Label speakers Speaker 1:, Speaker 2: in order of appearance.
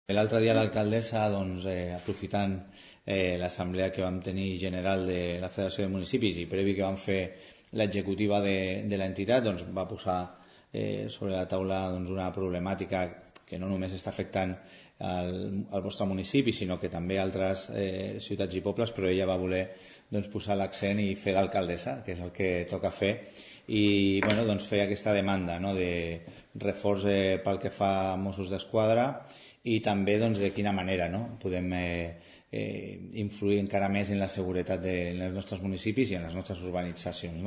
Speaker 1: L'altre dia l'alcaldessa, aprofitant l'assemblea que vam tenir general de la Federació de Municipis i previ que vam fer l'executiva de l'entitat, va posar sobre la taula una problemàtica que no només està afectant al vostre municipi, sinó que també a altres ciutats i pobles, però ella va voler posar l'accent i fer d'alcaldessa, que és el que toca fer, i fer aquesta demanda de reforç pel que fa a Mossos d'Esquadra i també de quina manera podem influir encara més en la seguretat dels nostres municipis i en les nostres urbanitzacions.